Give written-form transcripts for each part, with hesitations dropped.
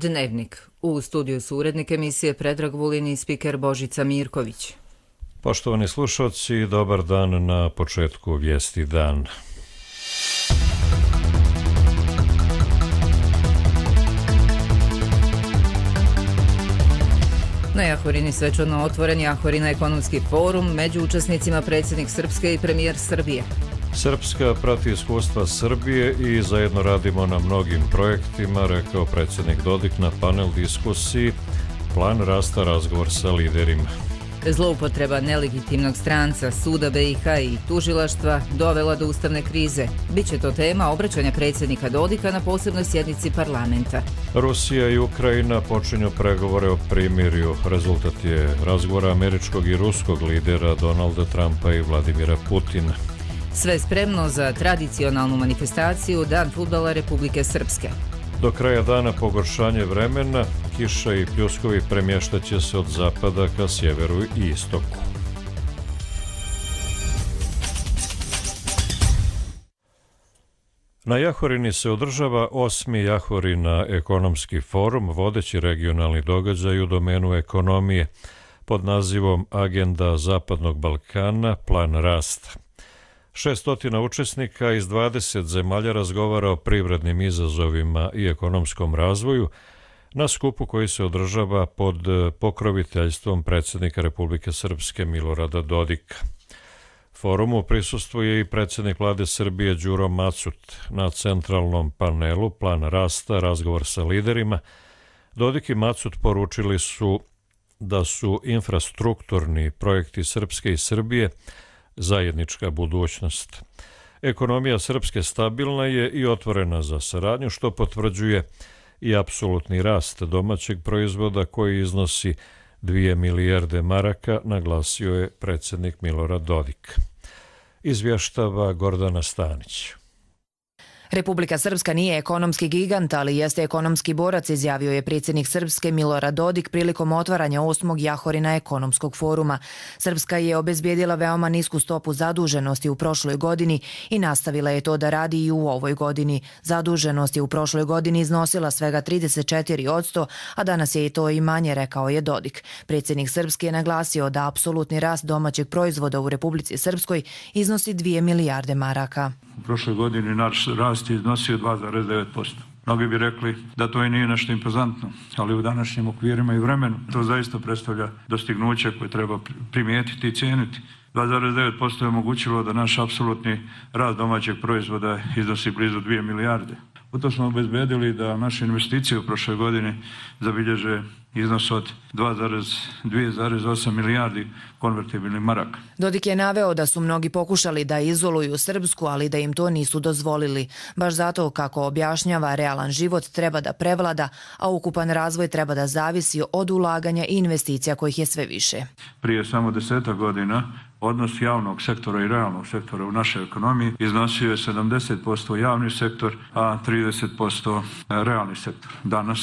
Dnevnik. U studiju su urednik emisije Predrag Vulin i spiker Božica Mirković. Poštovani slušalci, dobar dan na početku Vijesti dan. Na Jahorini svečano otvoren Jahorina ekonomski forum, među učesnicima predsjednik Srpske i premijer Srbije. Srpska prati iskustva Srbije i zajedno radimo na mnogim projektima, rekao predsjednik Dodik na panel diskusiji Plan rasta, razgovor sa liderima. Zloupotreba nelegitimnog stranca, suda BiH i tužilaštva dovela do ustavne krize. Biće to tema obraćanja predsjednika Dodika na posebnoj sjednici parlamenta. Rusija i Ukrajina počinju pregovore o primirju. Rezultat je razgovora američkog i ruskog lidera Donalda Trumpa i Vladimira Putina. Sve spremno za tradicionalnu manifestaciju Dan fudbala Republike Srpske. Do kraja dana pogoršanje vremena, kiša i pljuskovi premještaće se od zapada ka sjeveru i istoku. Na Jahorini se održava 8. Jahorina ekonomski forum, vodeći regionalni događaj u domenu ekonomije pod nazivom Agenda Zapadnog Balkana, plan rasta. 600 učesnika iz 20 zemalja razgovara o privrednim izazovima i ekonomskom razvoju na skupu koji se održava pod pokroviteljstvom predsjednika Republike Srpske Milorada Dodika. Forumu prisustvuje i predsjednik vlade Srbije Đuro Macut. Na centralnom panelu Plan rasta, razgovor sa liderima, Dodik i Macut poručili su da su infrastrukturni projekti Srpske i Srbije zajednička budućnost. Ekonomija Srpske stabilna je i otvorena za saradnju, što potvrđuje i apsolutni rast domaćeg proizvoda koji iznosi 2 milijarde maraka, naglasio je predsjednik Milorad Dodik. Izvještava Gordana Stanić. Republika Srpska nije ekonomski gigant, ali jeste ekonomski borac, izjavio je predsjednik Srpske Milorad Dodik prilikom otvaranja 8. Jahorina ekonomskog foruma. Srpska je obezbijedila veoma nisku stopu zaduženosti u prošloj godini i nastavila je to da radi i u ovoj godini. Zaduženost je u prošloj godini iznosila svega 34%, a danas je i to i manje, rekao je Dodik. Predsjednik Srpske je naglasio da apsolutni rast domaćeg proizvoda u Republici Srpskoj iznosi 2 milijarde maraka. U prošloj godini naš rast je iznosio 2,9%. Mnogi bi rekli da to i nije nešto impozantno, ali u današnjim okvirima i vremenu to zaista predstavlja dostignuće koje treba primijetiti i cijeniti. 2,9% je omogućilo da naš apsolutni rast domaćeg proizvoda iznosi blizu 2 milijarde. U to smo obezbedili da naše investicije u prošloj godini zabilježe iznos od 2,8 milijardi konvertibilnih maraka. Dodik je naveo da su mnogi pokušali da izoluju Srpsku, ali da im to nisu dozvolili. Baš zato, kako objašnjava, realan život treba da prevlada, a ukupan razvoj treba da zavisi od ulaganja i investicija kojih je sve više. Prije samo 10 godina odnos javnog sektora i realnog sektora u našoj ekonomiji iznosio je 70% javni sektor, a 30% realni sektor. Danas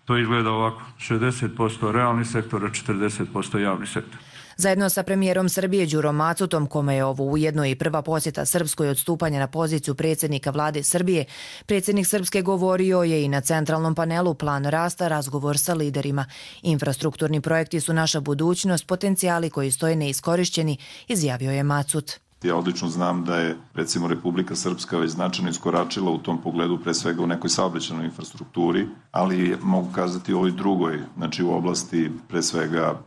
to izgleda ovako, 60% realni sektor, a 40% javni sektor. Zajedno sa premijerom Srbije Đurom Macutom, kome je ovo ujedno i prva posjeta Srpskoj od stupanja na poziciju predsjednika vlade Srbije, predsjednik Srpske govorio je i na centralnom panelu Plan rasta, razgovor sa liderima. Infrastrukturni projekti su naša budućnost, potencijali koji stoje neiskorišćeni, izjavio je Macut. Ja odlično znam da je, recimo, Republika Srpska već značajno iskoračila u tom pogledu, pre svega u nekoj saobraćajnoj infrastrukturi, ali mogu kazati u ovoj drugoj, znači u oblasti pre svega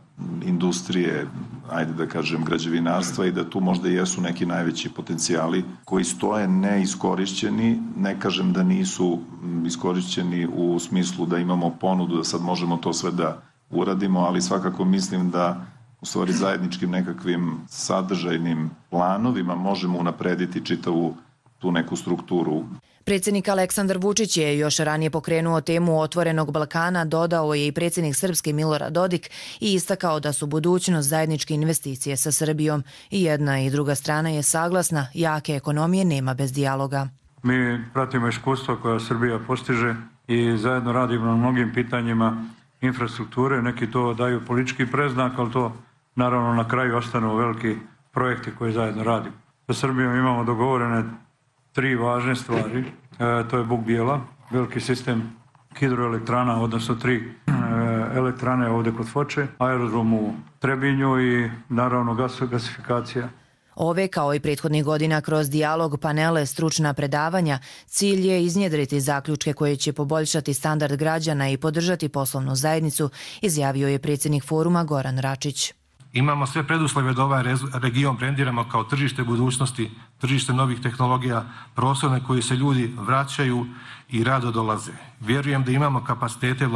industrije, ajde da kažem građevinarstva, i da tu možda jesu neki najveći potencijali koji stoje neiskorišćeni. Ne kažem da nisu iskorišćeni u smislu da imamo ponudu da sad možemo to sve da uradimo, ali svakako mislim da u stvari zajedničkim nekakvim sadržajnim planovima možemo unaprediti čitavu tu neku strukturu. Predsjednik Aleksandar Vučić je još ranije pokrenuo temu Otvorenog Balkana, dodao je i predsjednik Srpske Milorad Dodik i istakao da su budućnost zajedničke investicije sa Srbijom. I jedna i druga strana je saglasna, jake ekonomije nema bez dijaloga. Mi pratimo iskustva koja Srbija postiže i zajedno radimo na mnogim pitanjima infrastrukture. Neki to daju politički preznak, ali to naravno na kraju ostanu veliki projekti koje zajedno radimo. Sa Srbijom imamo dogovorene 3 važne stvari. To je Buk Bijela, veliki sistem hidroelektrana, odnosno 3 elektrane ovdje kod Foče, aerodrom u Trebinju i naravno gasifikacija. Ove, kao i prethodnih godina, kroz dijalog, panele, stručna predavanja, cilj je iznjedriti zaključke koje će poboljšati standard građana i podržati poslovnu zajednicu, izjavio je predsjednik foruma Goran Račić. Imamo sve preduslove da ovaj region brendiramo kao tržište budućnosti, tržište novih tehnologija, prostor na koji se ljudi vraćaju i rado dolaze. Vjerujem da imamo kapacitete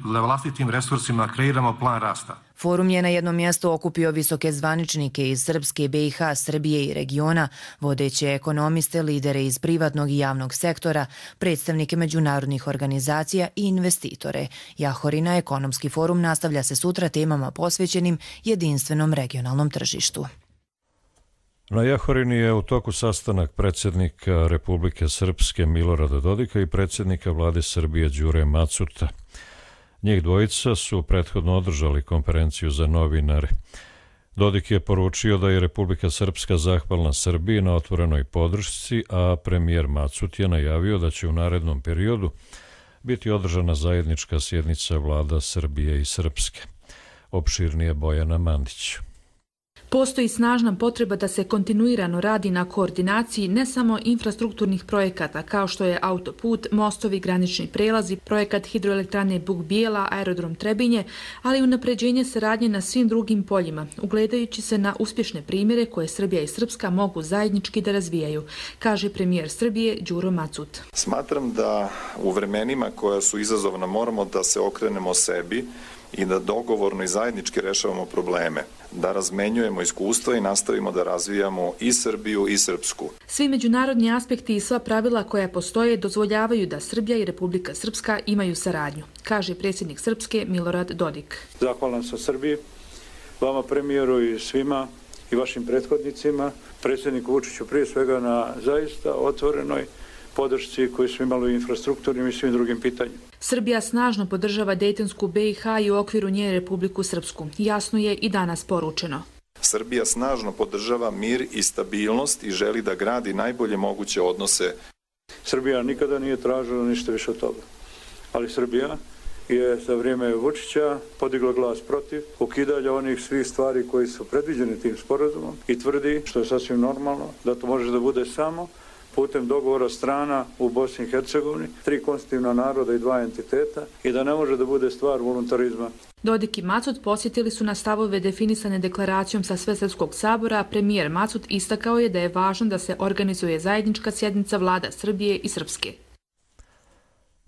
vlastitim resursima, kreiramo plan rasta. Forum je na jednom mjestu okupio visoke zvaničnike iz Srpske, BiH, Srbije i regiona, vodeće ekonomiste, lidere iz privatnog i javnog sektora, predstavnike međunarodnih organizacija i investitore. Jahorina ekonomski forum nastavlja se sutra temama posvećenim jedinstvenom regionalnom tržištu. Na Jahorini je u toku sastanak predsjednika Republike Srpske Milorada Dodika i predsjednika vlade Srbije Đure Macuta. Njih dvojica su prethodno održali konferenciju za novinare. Dodik je poručio da je Republika Srpska zahvalna Srbiji na otvorenoj podršci, a premijer Macut je najavio da će u narednom periodu biti održana zajednička sjednica vlada Srbije i Srpske. Opširnije Bojana Mandić. Postoji snažna potreba da se kontinuirano radi na koordinaciji ne samo infrastrukturnih projekata kao što je autoput, mostovi, granični prelazi, projekat hidroelektrane Buk Bijela, aerodrom Trebinje, ali i unapređenje saradnje na svim drugim poljima, ugledajući se na uspješne primjere koje Srbija i Srpska mogu zajednički da razvijaju, kaže premijer Srbije Đuro Macut. Smatram da u vremenima koja su izazovna moramo da se okrenemo sebi i da dogovorno i zajednički rešavamo probleme, da razmenjujemo iskustva i nastavimo da razvijamo i Srbiju i Srpsku. Svi međunarodni aspekti i sva pravila koja postoje dozvoljavaju da Srbija i Republika Srpska imaju saradnju, kaže predsjednik Srpske Milorad Dodik. Zahvalan sam Srbiji, vama premijeru i svima i vašim prethodnicima, predsjedniku Vučiću prije svega na zaista otvorenoj podršci koju smo imali u infrastrukturnim i svim drugim pitanjima. Srbija snažno podržava Dejtonsku BiH i u okviru nje Republiku Srpsku. Jasno je i danas poručeno. Srbija snažno podržava mir i stabilnost i želi da gradi najbolje moguće odnose. Srbija nikada nije tražila ništa više od toga. Ali Srbija je za vrijeme Vučića podigla glas protiv ukidanja onih svih stvari koji su predviđeni tim sporazumom i tvrdi, što je sasvim normalno, da to može da bude samo putem dogovora strana u Bosni i Hercegovini, 3 konstitutivna naroda i 2 entiteta i da ne može da bude stvar voluntarizma. Dodik i Macut posjetili su na stavove definisane deklaracijom sa Svesrpskog sabora, a premijer Macut istakao je da je važno da se organizuje zajednička sjednica vlada Srbije i Srpske.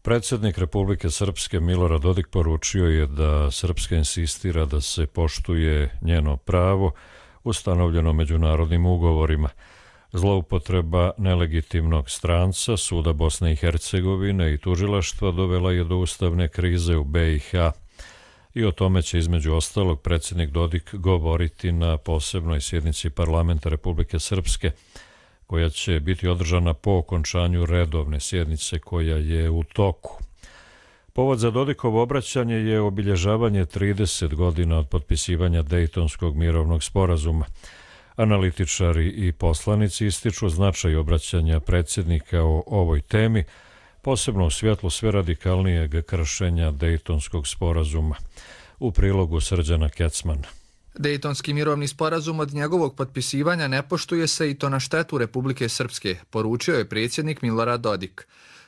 Predsjednik Republike Srpske Milorad Dodik poručio je da Srpska insistira da se poštuje njeno pravo ustanovljeno međunarodnim ugovorima. Zloupotreba nelegitimnog stranca, suda Bosne i Hercegovine i tužilaštva dovela je do ustavne krize u BiH i o tome će između ostalog predsjednik Dodik govoriti na posebnoj sjednici parlamenta Republike Srpske, koja će biti održana po okončanju redovne sjednice koja je u toku. Povod za Dodikovo obraćanje je obilježavanje 30 godina od potpisivanja Dejtonskog mirovnog sporazuma. Analitičari i poslanici ističu značaj obraćanja predsjednika o ovoj temi, posebno u svjetlu sve radikalnijeg kršenja Dejtonskog sporazuma. U prilogu Srđana Kecmana. Dejtonski mirovni sporazum od njegovog potpisivanja ne poštuje se i to na štetu Republike Srpske, poručio je predsjednik Milorad Dodik.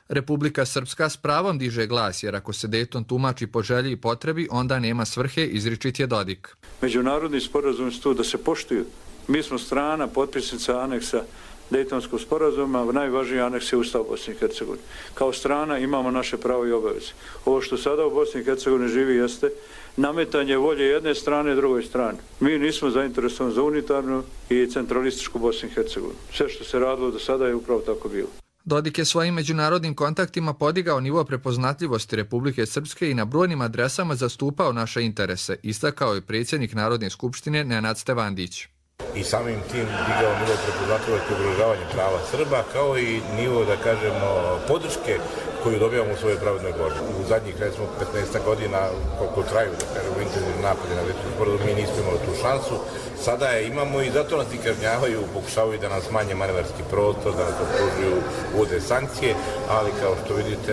Republika Srpska s pravom diže glas, jer ako se Dejton tumači po želji i potrebi, onda nema svrhe, izričit je Dodik. Međunarodni sporazum su tu da se poštuju. Mi smo strana, potpisnica aneksa Dejtonskog sporazuma, najvažniji aneks je Ustav Bosne i Hercegovine. Kao strana imamo naše pravo i obaveze. Ovo što sada u Bosni i Hercegovini živi jeste nametanje volje jedne strane drugoj strani. Mi nismo zainteresovani za unitarnu i centralističku Bosnu i Hercegovinu. Sve što se radilo do sada je upravo tako bilo. Dodik je svojim međunarodnim kontaktima podigao nivo prepoznatljivosti Republike Srpske i na brojnim adresama zastupao naše interese, istakao je predsjednik Narodne skupštine Nenad Stevandić. I samim tim digao nivo prepoznatljivosti ugrožavanja prava Srba, kao i nivo, da kažemo, podrške koju dobijamo u svojoj pravednoj borbi. U zadnjih, recimo, 15 godina, koliko traju, da kažemo, intenzivni napadi na Daytonski sporazum, mi nismo imali tu šansu. Sada je imamo i zato nas i kažnjavaju, pokušavaju da nas manje manevarski prostor, da nas optužuju, uvode sankcije, ali kao što vidite,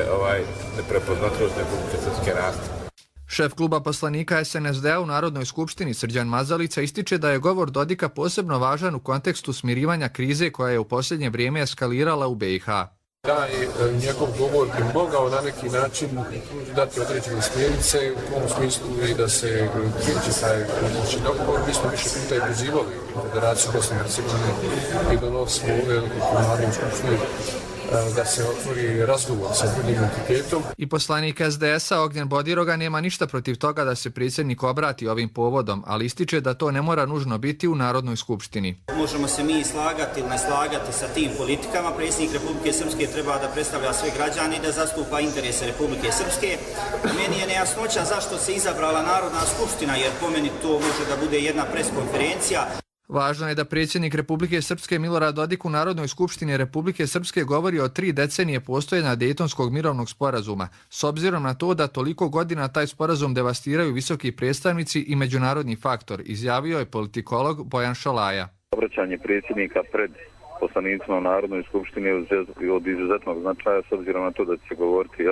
neprepoznatljivost Republike Srpske raste. Šef kluba poslanika SNSD-a u Narodnoj skupštini Srđan Mazalica ističe da je govor Dodika posebno važan u kontekstu smirivanja krize koja je u posljednje vrijeme eskalirala u BiH. Taj njegov govor bi mogao na neki način dati određene smjernice u tom smislu i da se prijeći taj dogovor. Mi smo više puta i pozivali Federaciju Bosne i Hercegovine i donosimo u Narodnoj skupštini da se otvori razgovor sa drugim entitetom. I poslanik SDS-a Ognjen Bodiroga nema ništa protiv toga da se predsjednik obrati ovim povodom, ali ističe da to ne mora nužno biti u Narodnoj skupštini. Možemo se mi slagati ili ne slagati sa tim politikama. Predsjednik Republike Srpske treba da predstavlja sve građane i da zastupa interese Republike Srpske. Meni je nejasnoća zašto se izabrala Narodna skupština, jer po meni to može da bude jedna preskonferencija. Važno je da predsjednik Republike Srpske Milorad Dodik u Narodnoj skupštini Republike Srpske govori o 3 decenije postojanja Dejtonskog mirovnog sporazuma, s obzirom na to da toliko godina taj sporazum devastiraju visoki predstavnici i međunarodni faktor, izjavio je politikolog Bojan Šolaja. Obraćanje predsjednika pred poslanicima u Narodnoj skupštini je od izuzetnog značaja, s obzirom na to da će se govoriti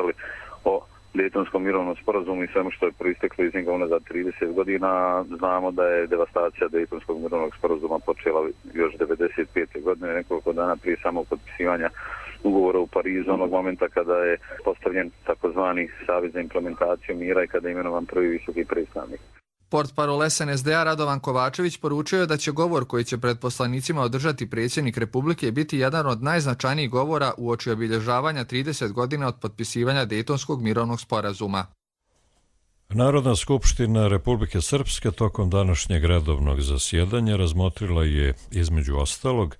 o Dejtonskom mirovnom sporazumu i svemu što je proisteklo iz njega unazad 30 godina. Znamo da je devastacija Dejtonskog mirovnog sporazuma počela još 1995. godine, nekoliko dana prije samog potpisivanja ugovora u Parizu, onog momenta kada je postavljen takozvani savez za implementaciju mira i kada je imenovan prvi visoki predstavnik. Portparol SNSD-a Radovan Kovačević poručio je da će govor koji će pred poslanicima održati predsjednik Republike biti jedan od najznačajnijih govora uoči obilježavanja 30 godina od potpisivanja Dejtonskog mirovnog sporazuma. Narodna skupština Republike Srpske tokom današnjeg redovnog zasjedanja razmotrila je, između ostalog,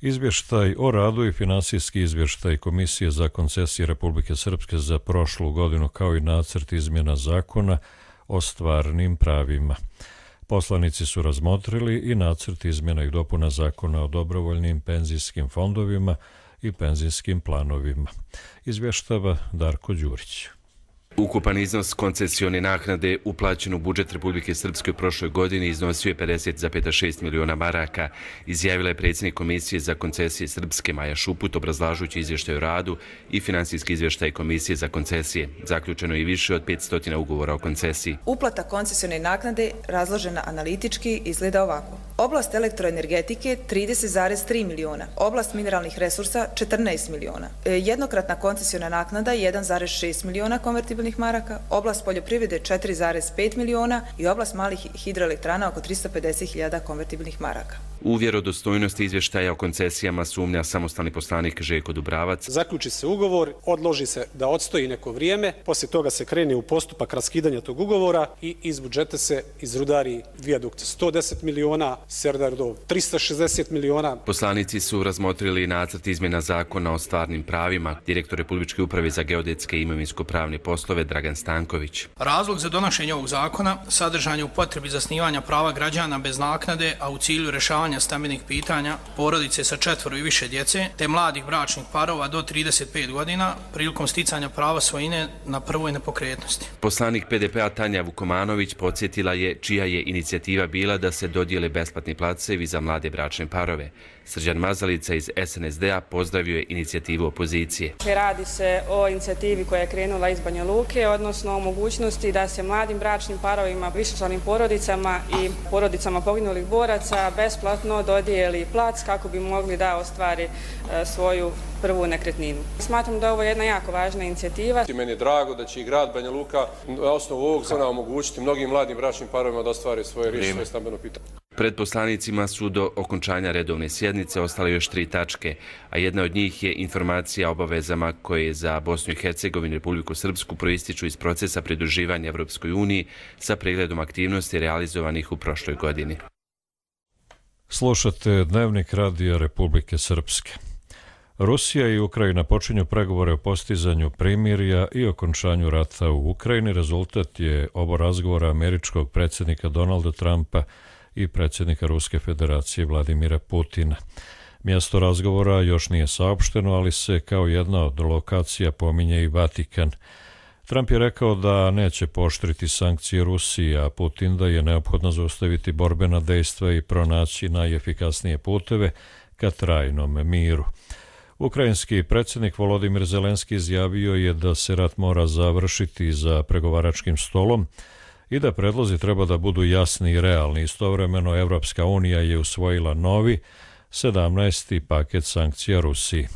izvještaj o radu i finansijski izvještaj Komisije za koncesije Republike Srpske za prošlu godinu, kao i nacrt izmjena zakona o stvarnim pravima. Poslanici su razmotrili i nacrt izmjena i dopuna zakona o dobrovoljnim penzijskim fondovima i penzijskim planovima. Izvještava Darko Đurić. Ukupan iznos koncesione naknade uplaćen u budžet Republike Srpske u prošloj godini iznosio je 50,6 miliona maraka, izjavila je predsjednik Komisije za koncesije Srpske Maja Šuput obrazlažući izvještaj o radu i finansijski izvještaj Komisije za koncesije. Zaključeno je i više od 500 ugovora o koncesiji. Uplata koncesione naknade razložena analitički izgleda ovako. Oblast elektroenergetike 30,3 miliona, oblast mineralnih resursa 14 miliona, jednokratna koncesiona naknada 1,6 miliona konvertibilnih maraka, oblast poljoprivrede 4,5 miliona i oblast malih hidroelektrana oko 350.000 konvertibilnih maraka. U vjerodostojnosti izvještaja o koncesijama sumnja samostalni poslanik Željko Dubravac. Zaključi se ugovor, odloži se da odstoji neko vrijeme, poslije toga se krene u postupak raskidanja tog ugovora i iz budžeta se izrudari vijadukt 110 miliona, Serdardov 360 miliona. Poslanici su razmotrili nacrt izmjena zakona o stvarnim pravima. Direktor Republičke uprave za geodetske i imovinsko-pravne poslove Dragan Stanković. Razlog za donošenje ovog zakona sadržan je u potrebi zasnivanja prava građana bez naknade, a u cilju rješavanja stambenih pitanja porodice sa 4 i više djece, te mladih bračnih parova do 35 godina prilikom sticanja prava svojine na prvoj nepokretnosti. Poslanik PDP-a Tanja Vukomanović podsjetila je čija je inicijativa bila da se dodijele besplatni placevi za mlade bračne parove. Srđan Mazalica iz SNSD-a pozdravio je inicijativu opozicije. Radi se o inicijativi koja je krenula iz Banja Luke, odnosno o mogućnosti da se mladim bračnim parovima, višečlanim porodicama i porodicama poginulih boraca besplatno dodijeli plac kako bi mogli da ostvari svoju prvu nekretninu. Smatram da je ovo jedna jako važna inicijativa. Meni je drago da će i grad Banja Luka na osnovu ovog zakona omogućiti mnogim mladim bračnim parovima da ostvare svoje rješenje stambeno pitanje. Pred poslanicima su do okončanja redovne sjednice ostale još 3 tačke, a jedna od njih je informacija o obavezama koje za Bosnu i Hercegovinu i Republiku Srpsku proističu iz procesa pridruživanja Evropskoj uniji sa pregledom aktivnosti realizovanih u prošloj godini. Slušate Dnevnik radija Republike Srpske. Rusija i Ukrajina počinju pregovore o postizanju primirja i okončanju rata u Ukrajini. Rezultat je oba razgovora američkog predsjednika Donalda Trumpa i predsjednika Ruske federacije Vladimira Putina. Mjesto razgovora još nije saopšteno, ali se kao jedna od lokacija pominje i Vatikan. Trump je rekao da neće pooštriti sankcije Rusiji, a Putin da je neophodno zaustaviti borbena dejstva i pronaći najefikasnije puteve ka trajnom miru. Ukrajinski predsjednik Volodimir Zelenski izjavio je da se rat mora završiti za pregovaračkim stolom i da predlozi treba da budu jasni i realni. Istovremeno Evropska unija je usvojila novi 17. paket sankcija Rusiji.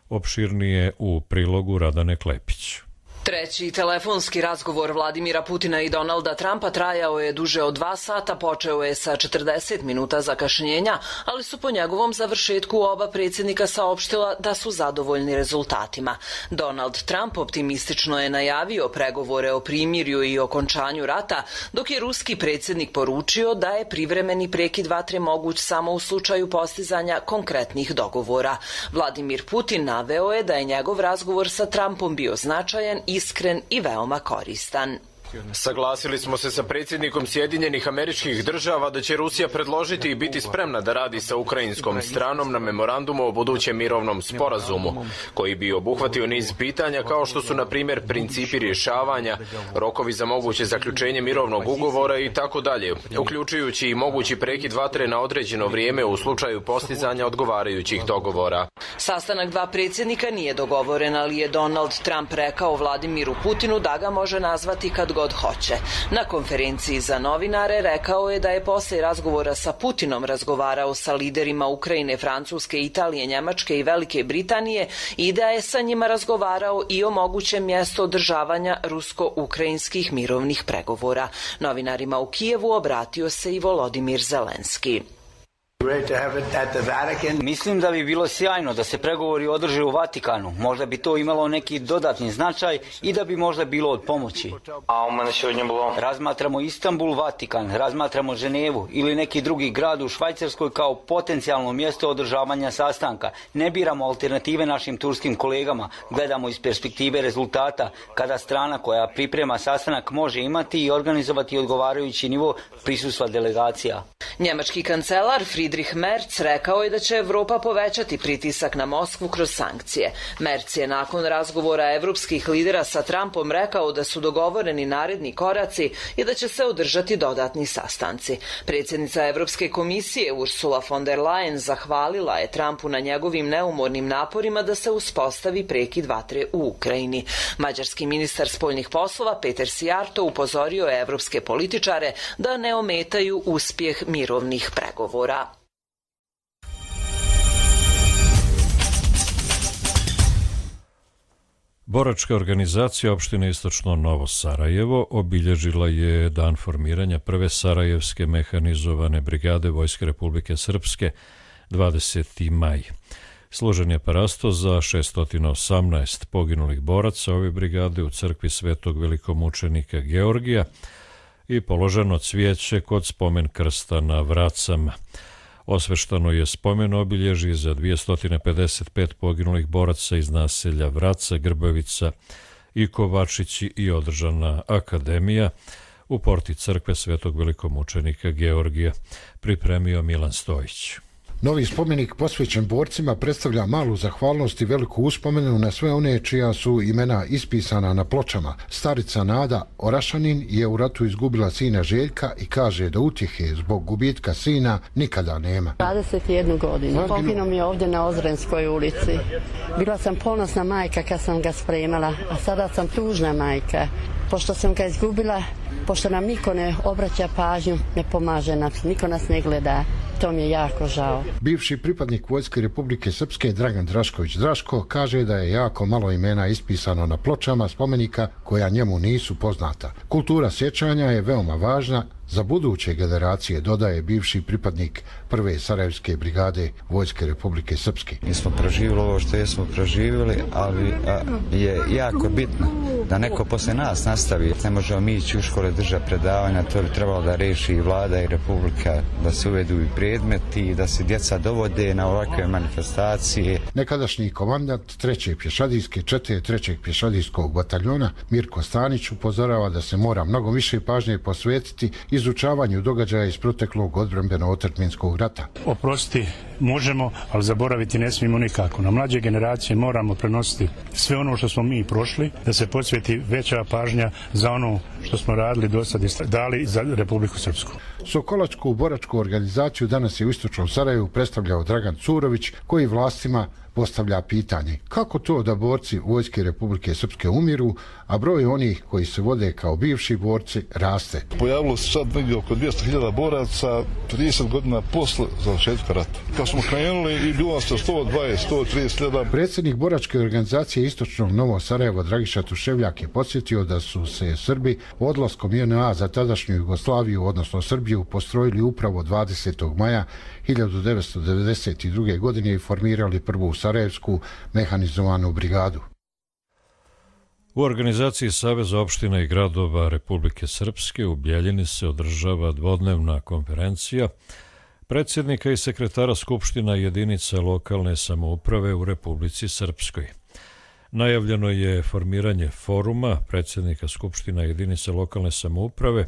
Opširnije u prilogu Radane Klepić. Treći telefonski razgovor Vladimira Putina i Donalda Trumpa trajao je duže od 2 sata, počeo je sa 40 minuta zakašnjenja, ali su po njegovom završetku oba predsjednika saopštila da su zadovoljni rezultatima. Donald Trump optimistično je najavio pregovore o primirju i okončanju rata, dok je ruski predsjednik poručio da je privremeni prekid vatre moguć samo u slučaju postizanja konkretnih dogovora. Vladimir Putin naveo je da je njegov razgovor sa Trumpom bio značajan, iskren i veoma koristan. Saglasili smo se sa predsjednikom Sjedinjenih Američkih Država da će Rusija predložiti i biti spremna da radi sa ukrajinskom stranom na memorandumu o budućem mirovnom sporazumu, koji bi obuhvatio niz pitanja kao što su, na primjer, principi rješavanja, rokovi za moguće zaključenje mirovnog ugovora i tako dalje, uključujući i mogući prekid vatre na određeno vrijeme u slučaju postizanja odgovarajućih dogovora. Sastanak dva predsjednika nije dogovoren, ali je Donald Trump rekao Vladimiru Putinu da ga može nazvati kad god hoće. Na konferenciji za novinare rekao je da je posle razgovora sa Putinom razgovarao sa liderima Ukrajine, Francuske, Italije, Njemačke i Velike Britanije i da je sa njima razgovarao i o mogućem mjestu održavanja rusko-ukrajinskih mirovnih pregovora. Novinarima u Kijevu obratio se i Volodimir Zelenski. Mislim da bi bilo sjajno da se pregovori održe u Vatikanu. Možda bi to imalo neki dodatni značaj i da bi možda bilo od pomoći. Razmatramo Istanbul, Vatikan, razmatramo Ženevu ili neki drugi grad u Švajcarskoj kao potencijalno mjesto održavanja sastanka. Ne biramo alternative našim turskim kolegama, gledamo iz perspektive rezultata, kada strana koja priprema sastanak može imati i organizovati odgovarajući nivo prisustva delegacija. Njemački kancelar Friedrich Merz rekao je da će Evropa povećati pritisak na Moskvu kroz sankcije. Merz je nakon razgovora evropskih lidera sa Trumpom rekao da su dogovoreni naredni koraci i da će se održati dodatni sastanci. Predsjednica Evropske komisije Ursula von der Leyen zahvalila je Trumpu na njegovim neumornim naporima da se uspostavi prekid vatre u Ukrajini. Mađarski ministar spoljnih poslova Peter Sijarto upozorio je evropske političare da ne ometaju uspjeh mirovnih pregovora. Boračka organizacija opštine Istočno Novo Sarajevo obilježila je dan formiranja prve Sarajevske mehanizovane brigade Vojske Republike Srpske 20. maj. Složen je parasto za 618 poginulih boraca ove brigade u crkvi Svetog velikomučenika Georgija i položeno cvijeće kod spomen krsta na Vracama. Osveštano je spomen obilježje za 255 poginulih boraca iz naselja Vraca, Grbavica i Kovačići i održana akademija u porti crkve Svetog velikomučenika Georgija, pripremio Milan Stojić. Novi spomenik posvećen borcima predstavlja malu zahvalnost i veliku uspomenu na sve one čija su imena ispisana na pločama. Starica Nada Orašanin je u ratu izgubila sina Željka i kaže da utjehe zbog gubitka sina nikada nema. 21 godinu. Poginuo mi je ovdje na Ozrenskoj ulici. Bila sam ponosna majka kad sam ga spremala, a sada sam tužna majka. Pošto sam ga izgubila, pošto nam niko ne obraća pažnju, ne pomaže nas, niko nas ne gleda. To mi je jako žao. Bivši pripadnik Vojske Republike Srpske Dragan Drašković Draško kaže da je jako malo imena ispisano na pločama spomenika koja njemu nisu poznata. Kultura sjećanja je veoma važna za buduće generacije, dodaje bivši pripadnik prve Sarajevske brigade Vojske Republike Srpske. Mi smo proživjeli ovo što jesmo proživjeli, ali je jako bitno da neko posle nas nastavi. Ne možemo mi ići u škole držati predavanja, to bi trebalo da reši i vlada i republika, da se uvedu i predmeti i da se djeca dovode na ovakve manifestacije. Nekadašnji komandant 3. pješadijske čete 3. pješadijskog bataljona Mirko Stanić upozorava da se mora mnogo više pažnje posvetiti izučavanju događaja iz proteklog odbrambeno-otadžbinskog rata. Oprosti možemo, ali zaboraviti ne smijemo nikako. Na mlađe generacije moramo prenositi sve ono što smo mi prošli, da se posveti veća pažnja za ono što smo radili do sad i dali za Republiku Srpsku. Sokolačku boračku organizaciju danas je u istočnom Sarajevu predstavljao Dragan Curović, koji vlastima postavlja pitanje kako to da borci Vojske Republike Srpske umiru, a broj onih koji se vode kao bivši borci raste. Pojavilo se sad negdje oko 200.000 boraca 30 godina posle završetka rata. Kad smo krenuli i bilo nas 120-130.000. Predsjednik boračke organizacije istočnog Novog Sarajeva Dragiša Tuševljak je podsjetio da su se Srbi odlaskom JNA za tadašnju Jugoslaviju, odnosno Srbiju, postrojili upravo 20. maja 1992. godine i formirali prvu Sarajevsku mehanizovanu brigadu. U organizaciji Saveza opština i gradova Republike Srpske u Bjeljini se održava dvodnevna konferencija predsjednika i sekretara Skupština jedinica lokalne samouprave u Republici Srpskoj. Najavljeno je formiranje foruma predsjednika Skupština jedinica lokalne samouprave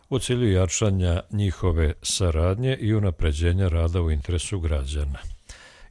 u cilju jačanja njihove saradnje i unapređenja rada u interesu građana.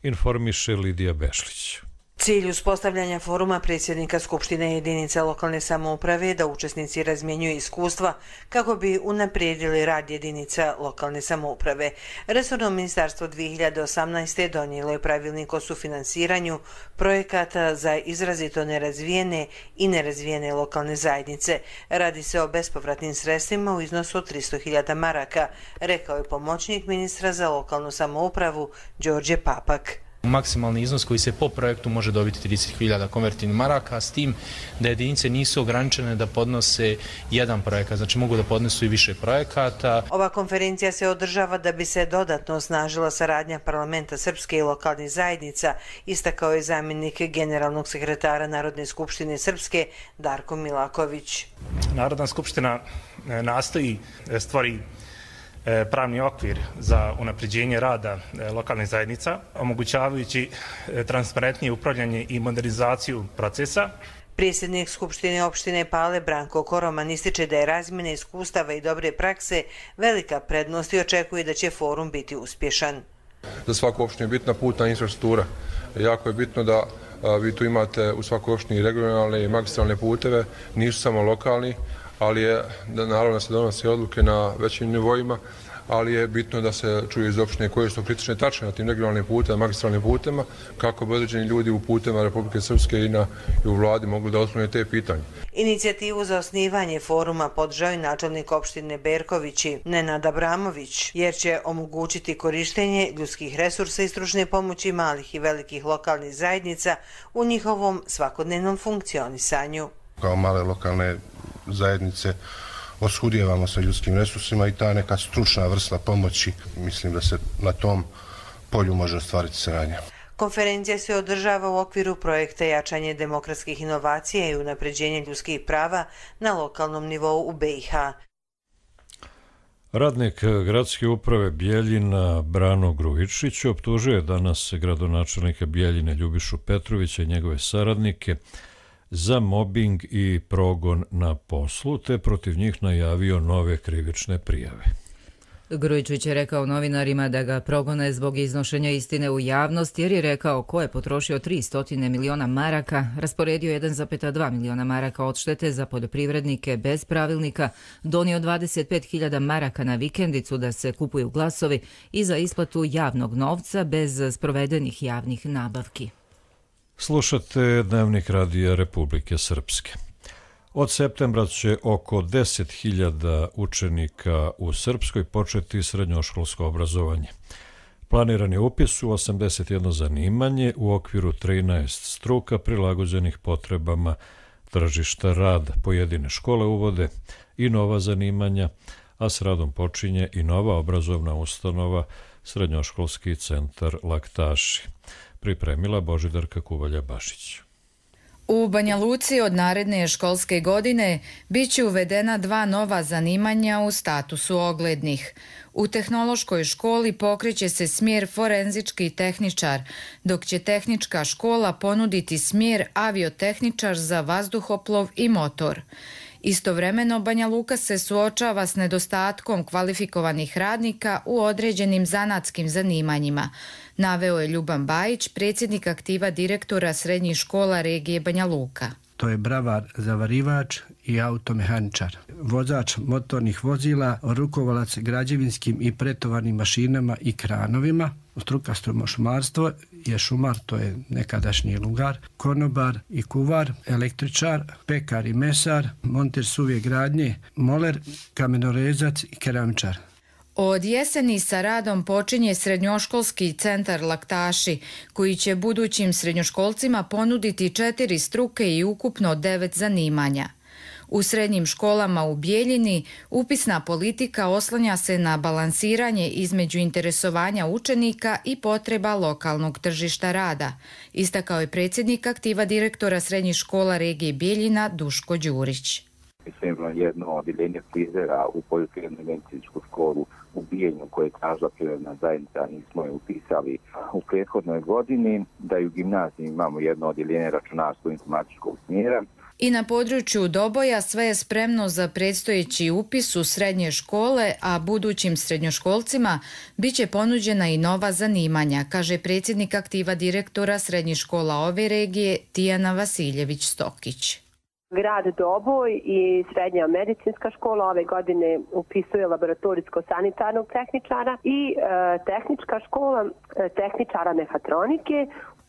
Informiše Lidija Bešlić. Cilj uspostavljanja foruma predsjednika Skupštine jedinica lokalne samouprave je da učesnici razmjenjuju iskustva kako bi unaprijedili rad jedinica lokalne samouprave. Resorno ministarstvo 2018. donijelo je pravilnik o sufinansiranju projekata za izrazito nerazvijene i nerazvijene lokalne zajednice. Radi se o bespovratnim sredstvima u iznosu od 300.000 maraka, rekao je pomoćnik ministra za lokalnu samoupravu Đorđe Papak. Maksimalni iznos koji se po projektu može dobiti 30.000 konvertivnih maraka, s tim da jedinice nisu ograničene da podnose jedan projekat, znači mogu da podnesu i više projekata. Ova konferencija se održava da bi se dodatno osnažila saradnja parlamenta Srpske i lokalnih zajednica, istakao je zamjenik generalnog sekretara Narodne skupštine Srpske Darko Milaković. Narodna skupština nastoji stvari pravni okvir za unapređenje rada lokalnih zajednica, omogućavajući transparentnije upravljanje i modernizaciju procesa. Predsjednik Skupštine opštine Pale Branko Koroman ističe da je razmjena iskustava i dobre prakse velika prednost i očekuje da će forum biti uspješan. Za svaku opštinu je bitna putna infrastruktura. Jako je bitno da vi tu imate u svakoj opštini regionalne i magistralne puteve, nisu samo lokalni, ali je naravno da se donose odluke na većim nivoima, ali je bitno da se čuje iz opštine koje su kritične tačke na tim regionalnim putevima, magistralnim putevima, kako bi određeni ljudi u putevima Republike Srpske i u vladi mogli da otklone te pitanje. Inicijativu za osnivanje foruma podržao i načelnik opštine Berkovići Nenad Abramović, jer će omogućiti korištenje ljudskih resursa i stručne pomoći malih i velikih lokalnih zajednica u njihovom svakodnevnom funkcionisanju. Kao male lokalne zajednice oskudijevamo sa ljudskim resursima i ta neka stručna vrsta pomoći, mislim da se na tom polju može ostvariti saradnja. Konferencija se održava u okviru projekta jačanje demokratskih inovacija i unapređenje ljudskih prava na lokalnom nivou u BiH. Radnik gradske uprave Bjeljina Brano Grujičić optužuje danas gradonačelnika Bjeljine Ljubišu Petrovića i njegove saradnike za mobing i progon na poslu, te protiv njih najavio nove krivične prijave. Grujičić je rekao novinarima da ga progone zbog iznošenja istine u javnost, jer je rekao ko je potrošio 300 miliona maraka, rasporedio 1,2 miliona maraka odštete za poljoprivrednike bez pravilnika, donio 25.000 maraka na vikendicu da se kupuju glasovi i za isplatu javnog novca bez sprovedenih javnih nabavki. Slušate Dnevnik radija Republike Srpske. Od septembra će oko 10.000 učenika u Srpskoj početi srednjoškolsko obrazovanje. Planiran je upis u 81 zanimanje u okviru 13 struka prilagođenih potrebama tržišta rada. Pojedine škole uvode i nova zanimanja, a s radom počinje i nova obrazovna ustanova, Srednjoškolski centar Laktaši. Pripremila Božidarka Kuvalja-Bašić. U Banja Luci od naredne školske godine bit će uvedena 2 nova zanimanja u statusu oglednih. U tehnološkoj školi pokreće se smjer forenzički tehničar, dok će tehnička škola ponuditi smjer aviotehničar za vazduhoplov i motor. Istovremeno, Banja Luka se suočava s nedostatkom kvalifikovanih radnika u određenim zanatskim zanimanjima, naveo je Ljuban Bajić, predsjednik aktiva direktora srednjih škola regije Banja Luka. To je bravar, zavarivač i automehaničar, vozač motornih vozila, rukovalac građevinskim i pretovarnim mašinama i kranovima, struka šumarstvo je šumar, to je nekadašnji lugar, konobar i kuvar, električar, pekar i mesar, monter suve gradnje, moler, kamenorezac i keramičar. Od jeseni sa radom počinje srednjoškolski centar Laktaši, koji će budućim srednjoškolcima ponuditi 4 struke i ukupno 9 zanimanja. U srednjim školama u Bijeljini upisna politika oslanja se na balansiranje između interesovanja učenika i potreba lokalnog tržišta rada, istakao je predsjednik aktiva direktora srednjih škola regije Bijeljina Duško Đurić. Imamo jedno odjeljenje frizera u poljoprivredno-medicinsku školu u Bijeljinu koje je tražila privredna zajednica, nismo je upisali u prethodnoj godini, da i u gimnaziji imamo jedno odjeljenje računarsko-informatičkog smjera. I na području Doboja sve je spremno za predstojeći upis u srednje škole, a budućim srednjoškolcima bit će ponuđena i nova zanimanja, kaže predsjednik aktiva direktora srednjih škola ove regije Tijana Vasiljević-Stokić. Grad Doboj i srednja medicinska škola ove godine upisuje laboratorijsko-sanitarnog tehničara i tehnička škola tehničara mehatronike.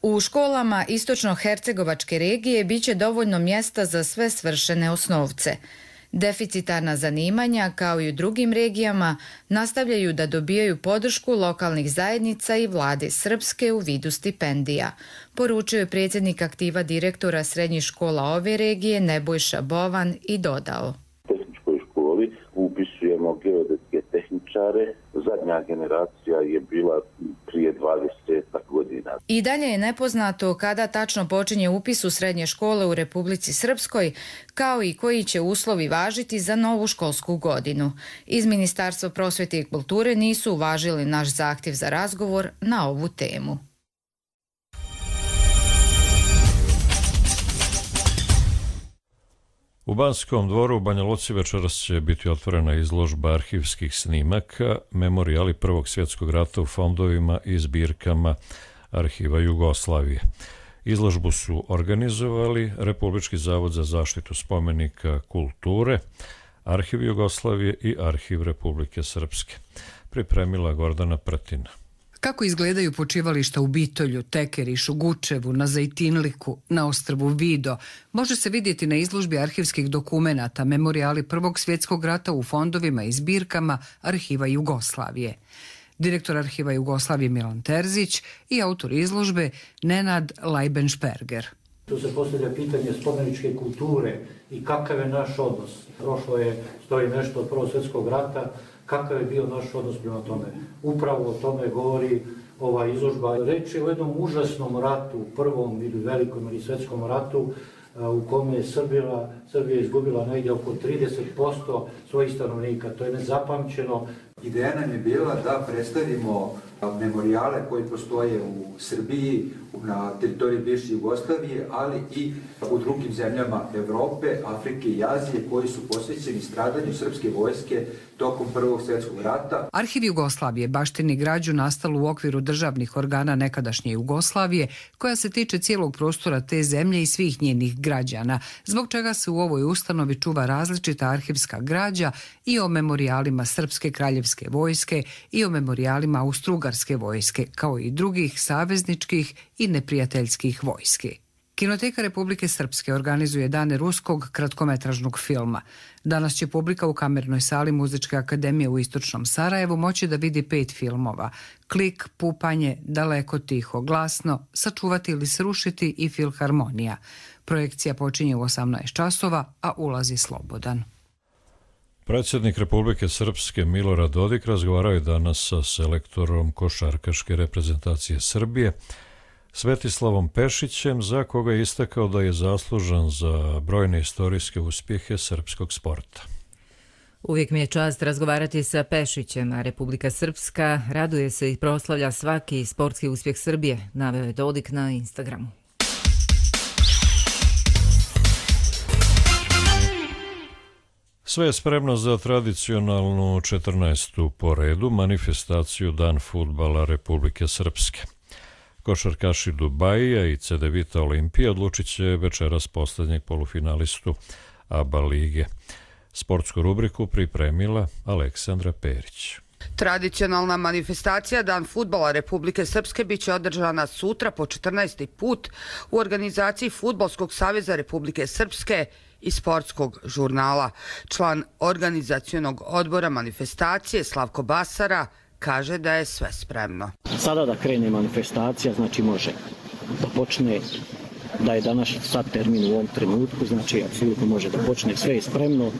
U školama istočno-hercegovačke regije bit će dovoljno mjesta za sve svršene osnovce. Deficitarna zanimanja, kao i u drugim regijama, nastavljaju da dobijaju podršku lokalnih zajednica i vlade Srpske u vidu stipendija, poručio je predsjednik aktiva direktora srednjih škola ove regije Nebojša Bovan i dodao. U tehničkoj školi upisujemo geodetske tehničare. Zadnja generacija je bila prije 20 godina. I dalje je nepoznato kada tačno počinje upis u srednje škole u Republici Srpskoj, kao i koji će uslovi važiti za novu školsku godinu. Iz Ministarstva prosvjete i kulture nisu uvažili naš zahtjev za razgovor na ovu temu. U Banskom dvoru u Banja Luci večeras će biti otvorena izložba arhivskih snimaka, memorijali Prvog svjetskog rata u fondovima i zbirkama Arhiva Jugoslavije. Izložbu su organizovali Republički zavod za zaštitu spomenika kulture, Arhiv Jugoslavije i Arhiv Republike Srpske. Pripremila Gordana Prtina. Kako izgledaju počivališta u Bitolju, Tekerišu, Gučevu, na Zajtinliku, na ostrvu Vido, može se vidjeti na izložbi arhivskih dokumenata, memorijali Prvog svjetskog rata u fondovima i zbirkama Arhiva Jugoslavije. Direktor Arhiva Jugoslavije Milan Terzić i autor izložbe Nenad Lajbenšperger. Tu se postavlja pitanje spomeničke kulture i kakav je naš odnos. Prošlo je, stoji nešto od Prvog svjetskog rata, kakav je bio naš odnos prema tome. Upravo o tome govori ova izložba. Reč je o jednom užasnom ratu, prvom ili velikom ili svjetskom ratu, u kome je Srbija izgubila negdje oko 30% svojih stanovnika. To je nezapamćeno. Ideja nam je bila da predstavimo memorijale koji postoje u Srbiji, na teritoriji bivše Jugoslavije, ali i u drugim zemljama Evrope, Afrike i Azije koji su posvećeni stradanju srpske vojske tokom Prvog svjetskog rata. Arhiv Jugoslavije baštini građu nastalu u okviru državnih organa nekadašnje Jugoslavije, koja se tiče cijelog prostora te zemlje i svih njenih građana, zbog čega se u ovoj ustanovi čuva različita arhivska građa i o memorijalima Srpske kraljevske vojske i o memorijalima Austro-Ugarske vojske, kao i drugih savezničkih i neprijateljskih vojski. Kinoteka Republike Srpske organizuje dane ruskog kratkometražnog filma. Danas će publika u kamernoj sali Muzičke akademije u Istočnom Sarajevu moći da vidi 5 filmova: Klik, Pupanje, Daleko, tiho, glasno, Sačuvati ili srušiti i Filharmonija. Projekcija počinje u 18 časova, a ulaz je slobodan. Predsjednik Republike Srpske Milorad Dodik razgovarao je danas sa selektorom košarkaške reprezentacije Srbije, Svetislavom Pešićem, za koga je istakao da je zaslužan za brojne istorijske uspjehe srpskog sporta. Uvijek mi je čast razgovarati sa Pešićem, a Republika Srpska raduje se i proslavlja svaki sportski uspjeh Srbije, naveo je Dodik na Instagramu. Sve je spremno za tradicionalnu 14. po redu manifestaciju Dan fudbala Republike Srpske. Košarkaši Dubajija i Cedevita Olimpija odlučit će večeras posljednjeg polufinalistu ABA lige. Sportsku rubriku pripremila Aleksandra Perić. Tradicionalna manifestacija Dan fudbala Republike Srpske biće održana sutra po 14. put u organizaciji Fudbalskog saveza Republike Srpske i Sportskog žurnala. Član organizacionog odbora manifestacije Slavko Basara kaže da je sve spremno. Sada da krene manifestacija, znači može da počne, da je danas sad termin u ovom trenutku, znači apsolutno može da počne, sve je spremno,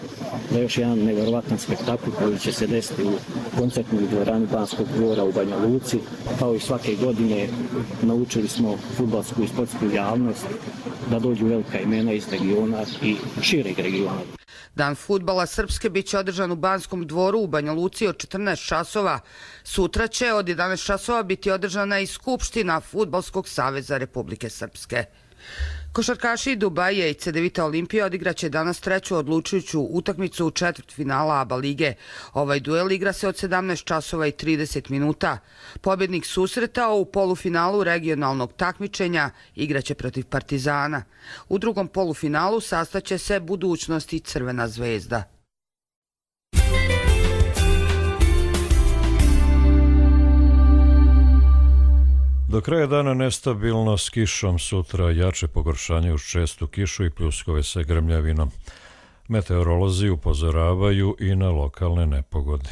da je još jedan nevjerovatan spektakl koji će se desiti u koncertnoj dvorani Banskog dvora u Banja Luci. Kao i svake godine naučili smo fudbalsku i sportsku javnost da dođu velika imena iz regiona i šireg regiona. Dan fudbala Srpske biće održan u Banskom dvoru u Banja Luci od 14 časova. Sutra će od 11 časova biti održana i Skupština Fudbalskog saveza Republike Srpske. Košarkaši Dubaija i Cedevita Olimpija odigraće danas treću odlučujuću utakmicu u četvrtfinala ABA lige. Ovaj duel igra se od 17 časova i 30 minuta. Pobjednik susreta u polufinalu regionalnog takmičenja igraće protiv Partizana. U drugom polufinalu sastaće se Budućnost i Crvena zvezda. Do kraja dana nestabilno s kišom, sutra jače pogoršanje uz čestu kišu i pljuskove sa grmljavinom. Meteorolozi upozoravaju i na lokalne nepogode.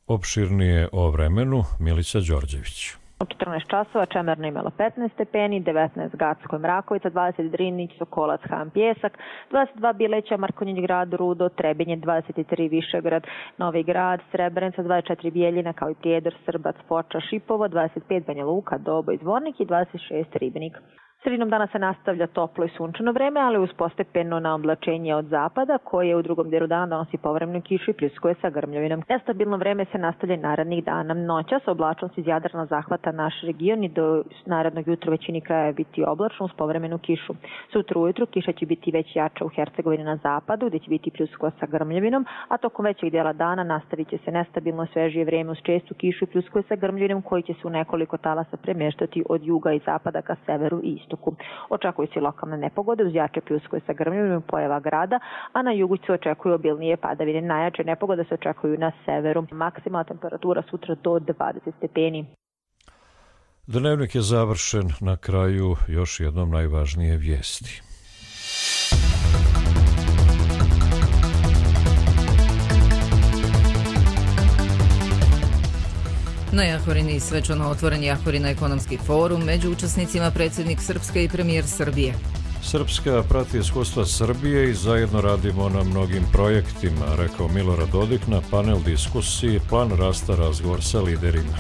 Opširnije o vremenu Milica Đorđević. U 14 časova Čemerno imalo 15 stepeni, 19 Gacko i Mrakovica, 20 Drinić, Sokolac, Han, Pjesak, 22 Bileća, Markonjić grad, Rudo, Trebinje, 23 Višegrad, Novi grad, Srebrenica, 24 Bijeljina, kao i Prijedor, Srbac, Foča, Šipovo, 25 Banja Luka, Dobo i Zvornik i 26 Ribnik. Sredinom dana se nastavlja toplo i sunčano vreme, ali uz postepeno naoblačenje od zapada, koje u drugom delu dana donosi povremenu kišu i pljuskuje sa grmljavinom. Nestabilno vreme se nastavlja narednih dana. Noćas oblačnost iz Jadrana zahvata naš region i do narednog jutra većini kraja biti oblačno uz povremenu kišu. Sutra ujutru kiša će biti već jača u Hercegovini na zapadu, gdje će biti pljuskuje sa grmljavinom, a tokom većeg dela dana nastavit će se nestabilno svežije vreme uz čestu kišu i pljuskuje sa grmljavinom, koji će se u nekoliko talasa premještati od juga i zapada ka severu i istoku. Očekuju se lokalne nepogode uz jače pljuskove sa grmljavinom pojava grada, a na jugu se očekuju obilnije padavine. Najjače nepogode se očekuju na severu. Maksimalna temperatura sutra do 20 stepeni. Dnevnik je završen, na kraju još jednom najvažnije vijesti. Na Jahorini svečano otvoren Jahorina ekonomski forum, među učesnicima predsjednik Srpske i premijer Srbije. Srpska prati iskustva Srbije i zajedno radimo na mnogim projektima, rekao Milorad Dodik na panel diskusiji Plan rasta, razgovor sa liderima.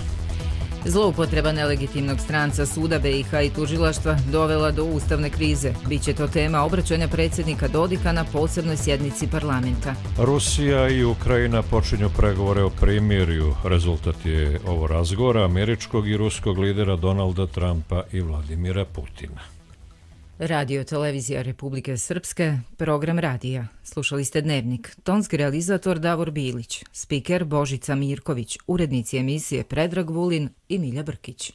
Zloupotreba nelegitimnog stranca suda BiH i tužilaštva dovela do ustavne krize. Biće to tema obraćanja predsjednika Dodika na posebnoj sjednici parlamenta. Rusija i Ukrajina počinju pregovore o primirju. Rezultat je ovo razgovora američkog i ruskog lidera Donalda Trumpa i Vladimira Putina. Radio televizija Republike Srpske, program radija. Slušali ste Dnevnik. Tonski realizator Davor Bilić, spiker Božica Mirković, urednici emisije Predrag Vulin i Milja Brkić.